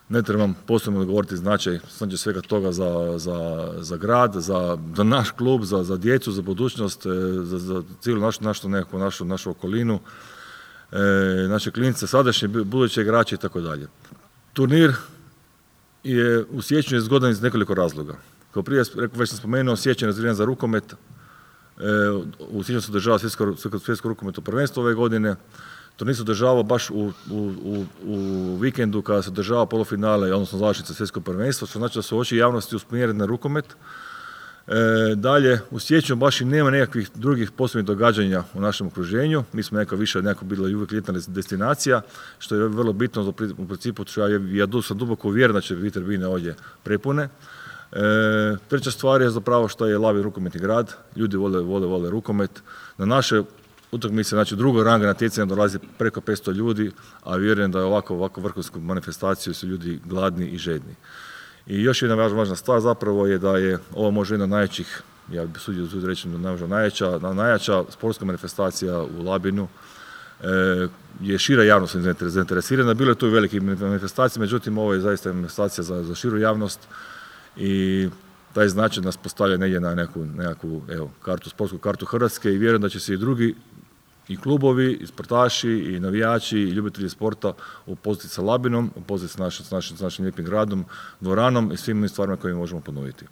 Ne trebam posebno govoriti značaj svega toga za grad, za naš klub, za djecu, za budućnost, za cijelu našu okolinu, naše klince, sadašnje, buduće igrače i tako dalje. Turnir je u siječnju zgodan iz nekoliko razloga. Kao prije, već sam spomenuo, siječanj je razvijen za rukomet. U siječnju se održava svjetsko rukometno prvenstvo ove godine. Turnir se održava baš u vikendu kada se održava polufinale, odnosno završnica svjetskog prvenstva, što znači da su oči javnosti usmjerene na rukomet. Dalje, u siječnju baš i nema nekakvih drugih posebnih događanja u našem okruženju. Mi smo nekako bila uvijek ljetna destinacija, što je vrlo bitno u principu, ja sam duboko uvjeren da će biti tribine ovdje prepune. Treća stvar je zapravo što je Labin rukometni grad, ljudi vole rukomet. Na naše utakmice, znači drugog ranga natjecanja dolazi preko 500 ljudi, a vjerujem da je ovako vrhunsku manifestaciju su ljudi gladni i žedni. I još jedna važna stvar zapravo je da je ovo možda jedna od najjačih, ja bih sudio reći najjača sportska manifestacija u Labinu. Je šira javnost zainteresirana, bilo je tu i velike manifestacije, međutim ovo je zaista manifestacija za širu javnost i taj značaj nas postavlja negdje na nekakvu sportsku kartu Hrvatske i vjerujem da će se i drugi i klubovi, i sportaši, i navijači, i ljubitelji sporta upoznati sa Labinom, upoznati s našim lijepim gradom, dvoranom i svim stvarima koje možemo ponuditi.